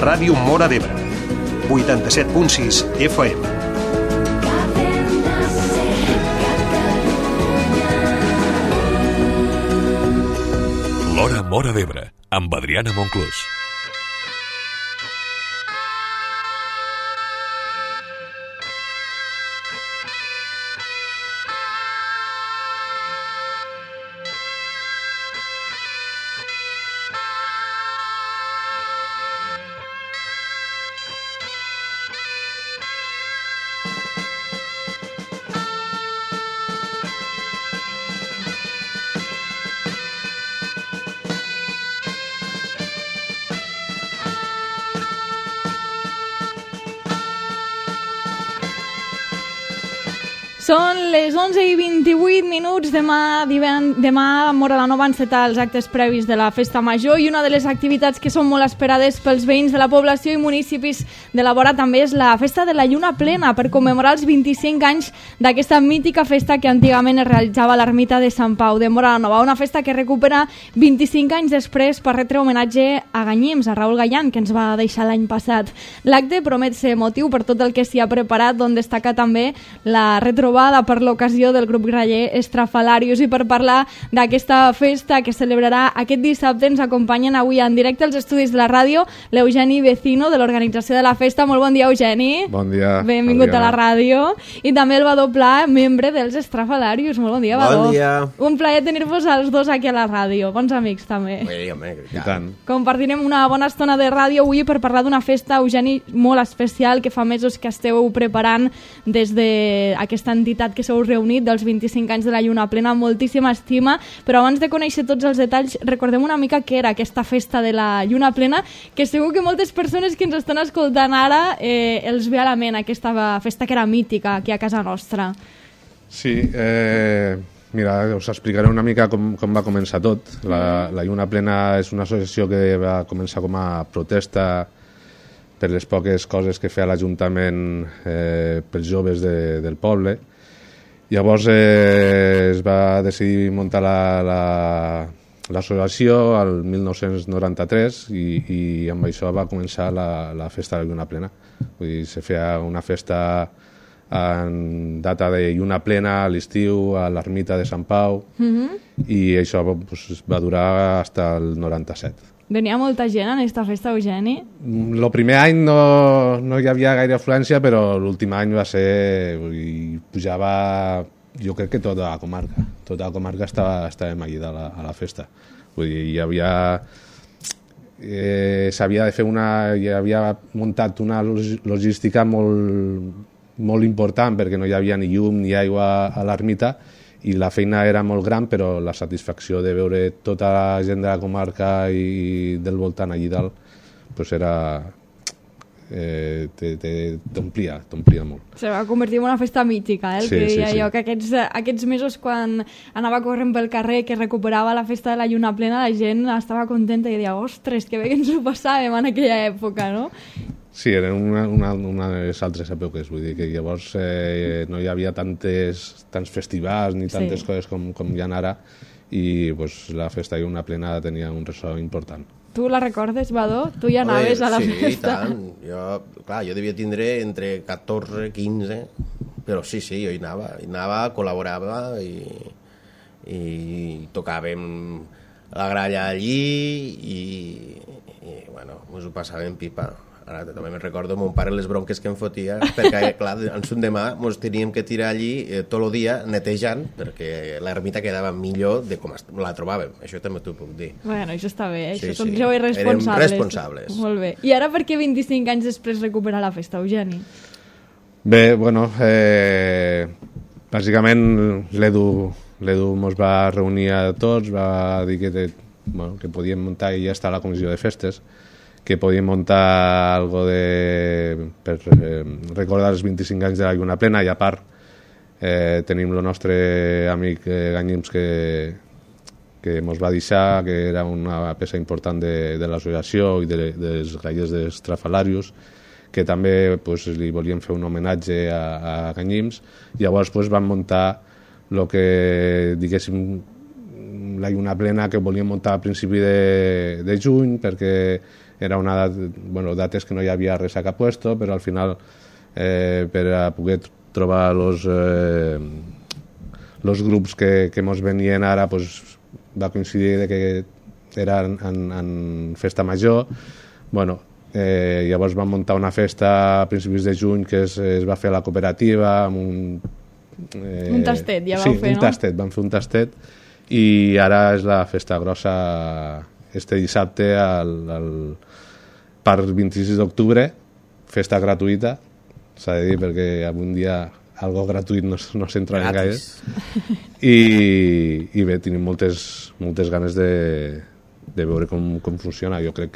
Ràdio Móra d'Ebre, 87.6 FM. L'Hora Móra d'Ebre, amb Adriana Monclús. Són les 11:28. Demà a Móra la Nova encetar els actes previs de la Festa Major i una de les activitats que són molt esperades pels veïns de la població i municipis de la vora també és la Festa de la Lluna Plena per commemorar els 25 anys d'aquesta mítica festa que antigament es realitzava a l'ermita de Sant Pau de Móra la Nova. Una festa que recupera 25 anys després per retre homenatge a Ganyims, a Raül Gallant, que ens va deixar l'any passat. L'acte promet ser emotiu per tot el que s'hi ha preparat, d'on destaca també la retrobada per l'ocasió del grup graller Estrafalarius. I per parlar d'aquesta festa que celebrarà aquest dissabte ens acompanyen avui en directe als estudis de la ràdio l'Eugeni Vecino de l'organització de la festa. Molt bon dia, Eugeni. Bon dia. Benvingut a la ràdio. I també el Vadó Pla, membre dels Estrafalarius. Molt bon dia, Vadó. Bon dia. Un plaer tenir-vos els dos aquí a la ràdio. Bons amics també. I tant. Compartirem una bona estona de ràdio avui per parlar d'una festa, Eugeni, molt especial que fa mesos que esteu preparant des d'aquesta entitat que s'heu reunit dels 25 anys de la Lluna Plena, amb moltíssima estima, però abans de conèixer tots els detalls recordem una mica què era aquesta festa de la Lluna Plena, que segur que moltes persones que ens estan escoltant ara els ve a la ment aquesta festa que era mítica aquí a casa nostra. Sí, mira, us explicaré una mica com va començar tot. La Lluna Plena és una associació que va començar com a protesta per les poques coses que feia l'Ajuntament pels joves del poble. Llavors es va decidir muntar l'associació al 1993 i amb això va començar la festa de la Lluna Plena. Vull dir, se feia una festa en data de Lluna Plena a l'estiu a l'ermita de Sant Pau i això pues, va durar fins al 97. Venia molta gent en aquesta festa, Eugeni? El primer any no hi havia gaire afluència, però l'últim any va ser... pujava, jo crec que tota la comarca. Tota la comarca estàvem allí a la festa. Vull dir, hi havia... s'havia de fer hi havia muntat una logística molt important perquè no hi havia ni llum ni aigua a l'ermita i la feina era molt gran, però la satisfacció de veure tota la gent de la comarca i del voltant allí dalt pues era... t'omplia molt. Se va convertir en una festa mítica, el sí, que deia sí. jo, que aquests mesos quan anava corrent pel carrer que recuperava la festa de la Lluna Plena, la gent estava contenta i deia, ostres, que bé que ens ho passàvem en aquella època, no? Sí, eren una de les altres èpoques, vull dir que llavors no hi havia tants festivals ni tantes coses com hi ha ara i pues, la festa de Lluna Plena tenia un ressò important. Tu la recordes, Vadó? Tu ja anaves a la festa. Sí, i tant. Jo devia tindre entre 14 i 15, però sí, jo hi anava, col·laborava i tocàvem la gralla allí i bueno, ens ho passàvem pipa. Ara també me'n recordo mon pare les bronques que em fotia perquè, clar, en son demà ens teníem que tirar allí tot el dia netejant perquè l'ermita quedava millor de com la trobàvem. Això també t'ho puc dir. Bueno, això està bé, Sí, són joves responsables. Érem responsables. Molt bé. I ara per què 25 anys després recuperar la festa, Eugeni? Bé, bueno, bàsicament l'Edu mos va reunir a tots, va dir que podíem muntar, i ja està la comissió de festes, que podíem muntar algo per recordar els 25 anys de la Lluna Plena i a part tenim el nostre amic Ganyims que mos va deixar, que era una peça important de l'associació i dels grallers d'Estrafalarius, que també pues, li volíem fer un homenatge a Ganyims. Llavors pues, vam muntar el que, diguéssim, la lluna plena que volíem muntar a principi de juny, perquè era una dates que no hi havia res a cap puesto, però al final per a poder trobar los grups que mos venien ara, pues, va coincidir de que era en festa major. Bueno, llavors vam muntar una festa a principis de juny que es va fer a la cooperativa amb un tastet, ja vau fer, no? Sí, vam fer un tastet, i ara és la festa grossa este dissabte al Parc 26 d'octubre, festa gratuïta, s'ha de dir, perquè algun dia algo gratuït no s'entra en gaire. I bé, tenim moltes ganes de veure com funciona. Jo crec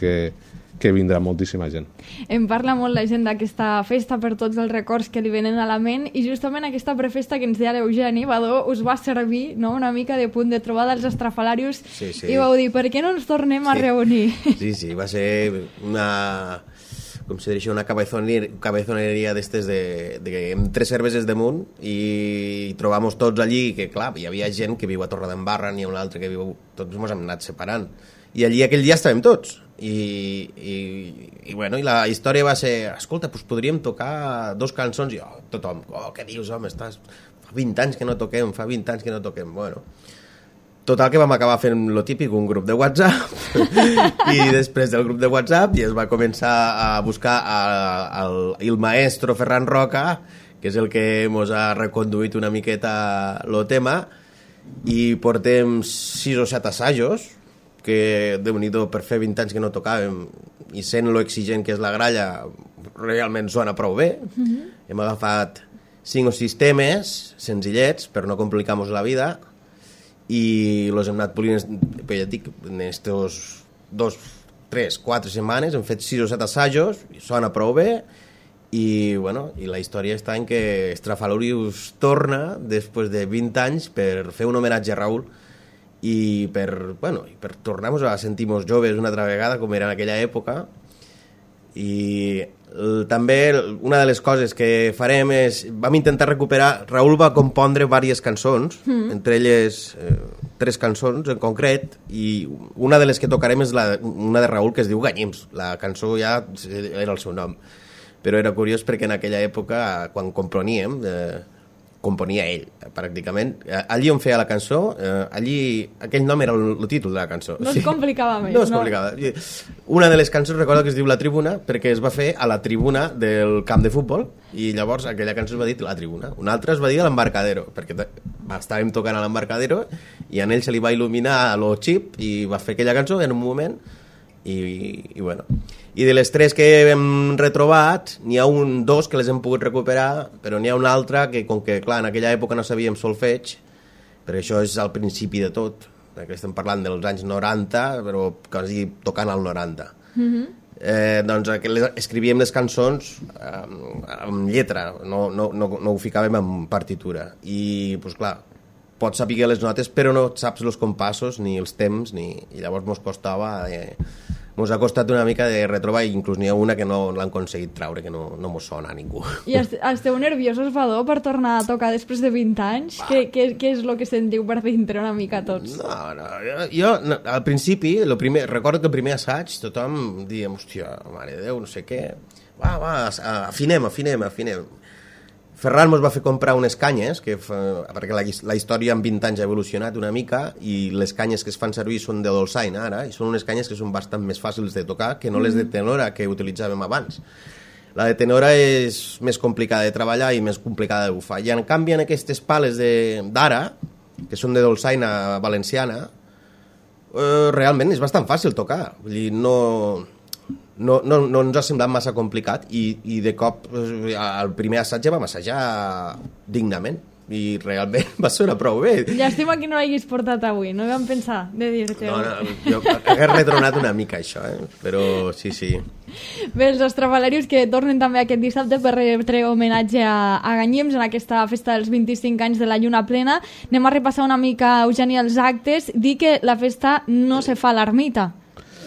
que vindrà moltíssima gent. Em parla molt la gent d'aquesta festa per tots els records que li venen a la ment, i justament aquesta prefesta que ens deia l'Eugeni Badó us va servir, no?, una mica de punt de trobada als estrafalarius. Sí. I vau dir, per què no ens tornem a reunir? Sí, va ser una... com se diria, una cabezoneria d'estes amb 3 cerveses damunt, i trobamos tots allí, que clar, hi havia gent que viu a Torredembarra, n'hi ha un altre que viu... Tots ens hem anat separant. I allí aquell dia estàvem tots. I bueno, i la història va ser, escolta, doncs podríem tocar 2 cançons, i tothom, què dius, home, fa 20 anys que no toquem, bueno. Total, que vam acabar fent lo típic, un grup de WhatsApp, i després del grup de WhatsApp ja es va començar a buscar el maestro Ferran Roca, que és el que ens ha reconduït una miqueta el tema, i portem 6 o 7 assajos, que déu-n'hi-do, per fer 20 anys que no tocàvem, i sent lo exigent que és la gralla, realment sona prou bé. Hem agafat 5 o 6 temes senzillets per no complicar-nos la vida, i los hem anat polint, ja et dic, en estos 2, 3, 4 setmanes hem fet 6 o 7 assajos, i sona prou bé, i bueno, i la història està en que Estrafalarius torna després de 20 anys per fer un homenatge a Raül, i per tornar-nos a sentir-nos joves una altra vegada com era en aquella època. I també una de les coses que farem és, vam intentar recuperar, Raül va compondre diverses cançons, entre elles 3 cançons en concret, i una de les que tocarem és una de Raül que es diu Ganyims. La cançó ja era el seu nom, però era curiós perquè en aquella època, quan componíem, componia ell, pràcticament. Allí on feia la cançó, aquell nom era el títol de la cançó. No es complicava més, no? Es complicava. Una de les cançons recordo que es diu La Tribuna, perquè es va fer a la tribuna del camp de futbol, i llavors aquella cançó es va dir La Tribuna. Una altra es va dir L'Embarcadero, perquè estàvem tocant a l'Embarcadero, i a ell se li va il·luminar lo xip, i va fer aquella cançó en un moment, i bueno... I de les 3 que hem retrobat, n'hi ha 2 que les hem pogut recuperar, però n'hi ha una altra que, com que, clar, en aquella època no sabíem solfeig, perquè això és al principi de tot, perquè estem parlant dels anys 90, però quasi tocant al 90. Doncs escrivíem les cançons amb lletra, no ho ficàvem en partitura. I, doncs clar, pots saber les notes, però no saps els compassos, ni els temps, i llavors mos costava... Ens ha costat una mica de retrobar, i inclús n'hi ha una que no l'han aconseguit traure, que no mos sona a ningú. I esteu nerviosos, Badó, per tornar a tocar després de 20 anys? Què és el que sentiu per dintre una mica tots? No, jo al principi, recordo que el primer assaig tothom diem, hòstia, mare de Déu, no sé què, va, afinem. Ferran mos va fer comprar unes canyes, perquè la història en 20 anys ha evolucionat una mica, i les canyes que es fan servir són de dolçaina ara, i són unes canyes que són bastant més fàcils de tocar que no les de tenora que utilitzàvem abans. La de tenora és més complicada de treballar i més complicada de bufar. I en canvi en aquestes pales d'ara, que són de dolçaina valenciana, realment és bastant fàcil tocar. Vull dir, no ens ha semblat massa complicat, i de cop al primer assaig ja vam assajar dignament, i realment va sonar prou bé. Llàstima que no l'haguis portat avui, no vam pensar de dir-te. No, jo hagués retronat una mica això, però sí. Bé, els estrafalarius que tornen també aquest dissabte per retre homenatge a Ganyims en aquesta festa dels 25 anys de la lluna plena. Anem a repassar una mica, Eugeni, els actes. Dir que la festa no se fa a l'ermita,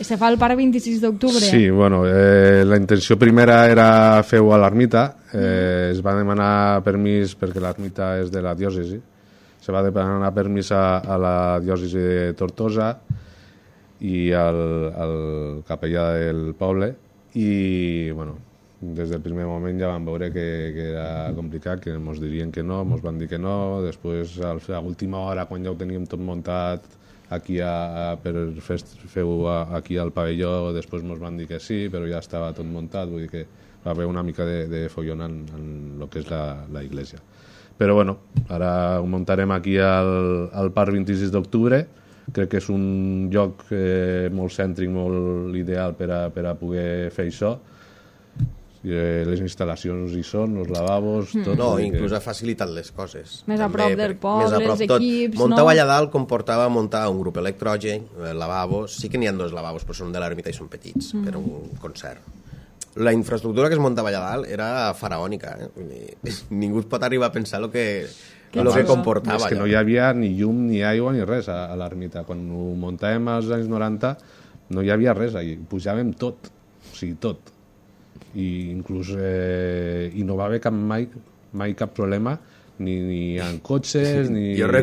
se fa al Parc 26 d'octubre. Sí, bueno, la intenció primera era fer-ho a l'ermita. Es va demanar permís perquè l'ermita és de la diòcesi, se va demanar permís a la diòcesi de Tortosa i al capellà del poble i, bueno, des del primer moment ja vam veure que era complicat, que ens dirien que no, ens van dir que no, després a l'última hora quan ja ho teníem tot muntat aquí per fer-ho aquí al pavelló, després ens van dir que sí, però ja estava tot muntat, vull dir que va haver una mica de follon en el que és la iglesia. Però bueno, ara ho muntarem aquí al Parc 26 d'octubre, crec que és un lloc molt cèntric, molt ideal per a poder fer això. Les instal·lacions hi són, els lavabos, tot. No, inclús ha facilitat les coses. Més a prop del poble, els equips, no? Muntar allà dalt comportava muntar un grup electrògen, lavabos, sí que n'hi ha 2 lavabos, però són de l'ermita i són petits, per un concert. La infraestructura que es muntava allà dalt era faraònica, ningú pot arribar a pensar el que comportava. És que no hi havia ni llum, ni aigua, ni res a l'ermita. Quan ho muntàvem als anys 90 no hi havia res allà, pujàvem tot, o sigui, tot. I inclús no va haver mai cap problema ni en cotxes ni la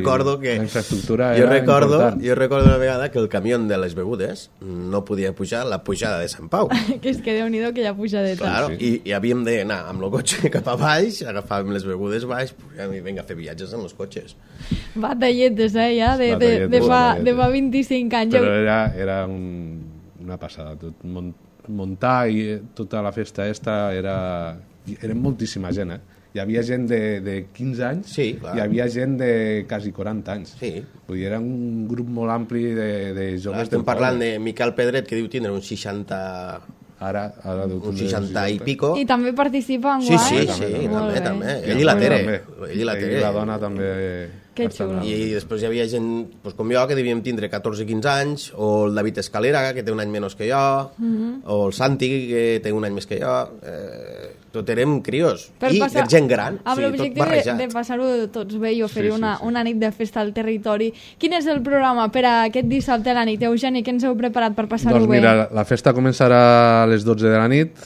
infraestructura era important. Jo recordo una vegada que el camió de les begudes no podia pujar la pujada de Sant Pau. Que és que Déu-n'hi-do que ja pujadeta. Claro, sí. I havíem d'anar amb el cotxe cap a baix, agafàvem les begudes baix i vinga a fer viatges en els cotxes. Batalletes, ja, de fa 25 anys. Però era una passada, tot muntar i tota la festa era moltíssima gent, Hi havia gent de 15 anys, sí, clar. Hi havia gent de quasi 40 anys. Sí. Vull dir, era un grup molt ampli de joves. Estem parlant de Miquel Pedret, que diu tindre uns 60... Ara uns 60 i pico. I també participa en guai. Sí, també. Ell i la Tere. Ell i la dona també. Que xulo. I després hi havia gent com jo, que devíem tindre 14-15 anys, o el David Escalera, que té un any menys que jo, o el Santi, que té un any més que jo. Tot érem crios. I gent gran. Amb l'objectiu de passar-ho tots bé i oferir una nit de festa al territori. Quin és el programa per a aquest dissabte a la nit? Eugeni, què ens heu preparat per passar-ho bé? Doncs mira, la festa començarà a les 12 de la nit.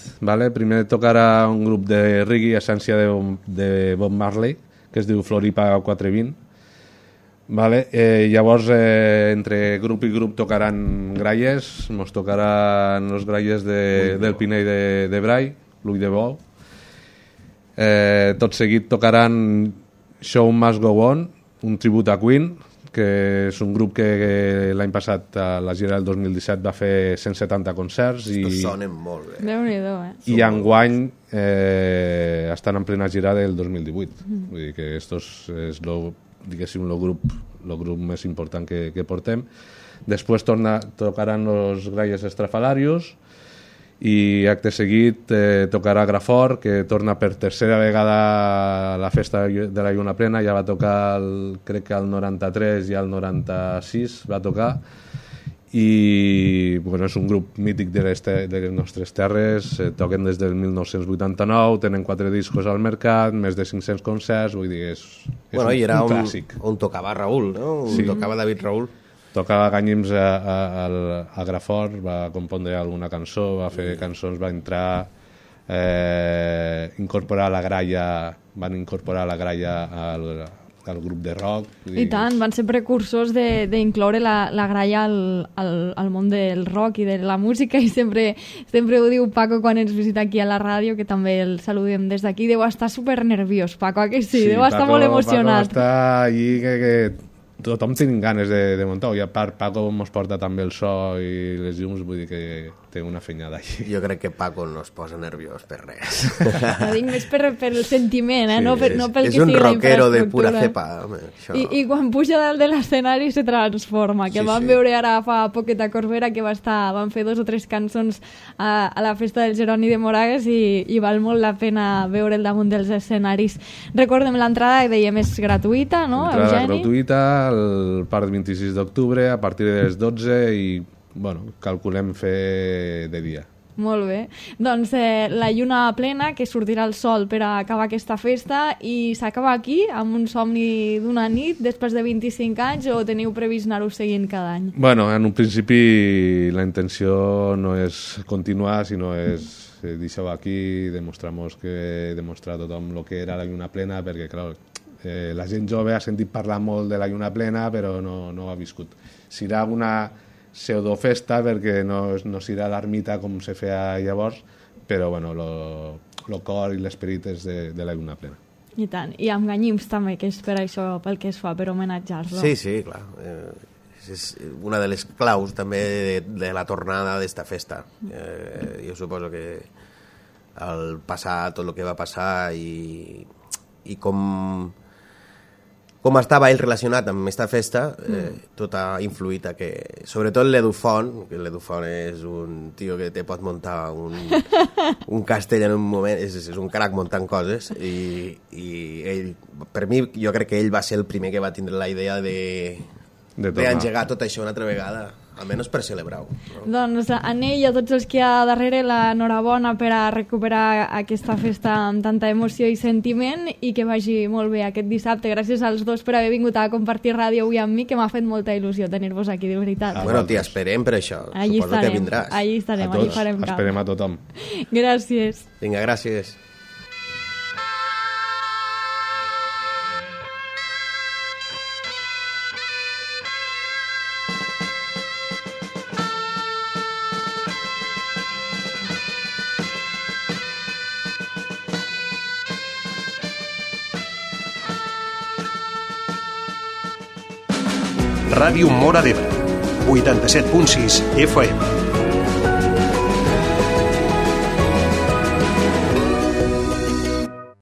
Primer tocarà un grup de reggae, essència de Bob Marley, que es diu Floripa 420. Llavors, entre grup i grup tocaran gralles, ens tocaran els gralles del Pinell de Brai, l'Ull de Bou. Tot seguit tocaran Show Must Go On, un tribut a Queen, que és un grup que l'any passat, a la gira del 2017, va fer 170 concerts. Estos sonen molt bé. Déu-n'hi-do, I enguany estan en plena gira del 2018. Vull dir que estos és diguéssim, el grup més important que portem. Després tocaran els Gralles Estrafalarios i acte seguit tocarà Grafort, que torna per tercera vegada a la festa de la Lluna Plena. Ja va tocar crec que el 93 i el 96 va tocar, i és un grup mític de les nostres terres. Toquen des del 1989, tenen 4 discos al mercat, més de 500 concerts, vull dir, és un clàssic. On tocava Raül, no? Sí. Tocava David Raül. Tocava Ganyims a Grafort, va compondre alguna cançó, va fer cançons, va entrar, incorporar la gralla, van incorporar la gralla al grup de rock. I tant, van ser precursors d'incloure la gralla al món del rock i de la música, i sempre ho diu Paco quan ens visita aquí a la ràdio, que també el saludem des d'aquí. Deu estar super nerviós, Paco, que sí? Deu estar molt emocionat. Paco està allí que tothom tenim ganes de muntar, i a part Paco ens porta també el so i les llums, vull dir que té una fenyada allí. Jo crec que Paco no es posa nerviós per res. Ho dic més pel sentiment, no pel que sigui la infraestructura. És un rockero de pura cepa. I quan puja dalt de l'escenari se transforma, que vam veure ara fa poquet a Corbera, que van fer 2 o 3 cançons a la festa del Jeroni de Moragues, i val molt la pena veure'l damunt dels escenaris. Recordem, l'entrada, dèiem, és gratuïta, no, Eugeni? L'entrada gratuïta, al Parc 26 d'octubre, a partir de les 12, i calculem fer de dia. Molt bé. Doncs la lluna plena, que sortirà el sol per a acabar aquesta festa, i s'acaba aquí, amb un somni d'una nit, després de 25 anys, o teniu previst anar-ho seguint cada any? En un principi la intenció no és continuar, sinó és deixar-ho aquí, demostrar a tothom el que era la lluna plena, perquè, clar, La gent jove ha sentit parlar molt de la lluna plena, però no ho ha viscut. Serà una pseudofesta, perquè no serà l'ermita com se feia llavors, però bueno, el cor i l'esperit és de la lluna plena. I tant. I amb Ganyims també, que és per això, pel que es fa, per homenatjar-lo. Sí, clar. És una de les claus també de la tornada d'esta festa. Jo suposo que al passar tot el que va passar i com estava ell relacionat amb aquesta festa, tot ha influït a que, sobretot l'Edufont, que l'Edufont és un tio que te pot muntar un castell en un moment, és un crac muntant coses, i ell, per mi, jo crec que ell va ser el primer que va tindre la idea d'engegar tot això una altra vegada, almenys per celebrar-ho. No? Doncs a ell i a tots els que hi ha darrere l'enhorabona per a recuperar aquesta festa amb tanta emoció i sentiment, i que vagi molt bé aquest dissabte. Gràcies als dos per haver vingut a compartir ràdio avui amb mi, que m'ha fet molta il·lusió tenir-vos aquí, de veritat. Bueno, t'hi esperem per això. Allí Suposo que vindràs. Allí estarem, allí farem camp. Esperem a tothom. Gràcies. Vinga, gràcies. Ràdio Móra d'Ebre, 87.6 FM.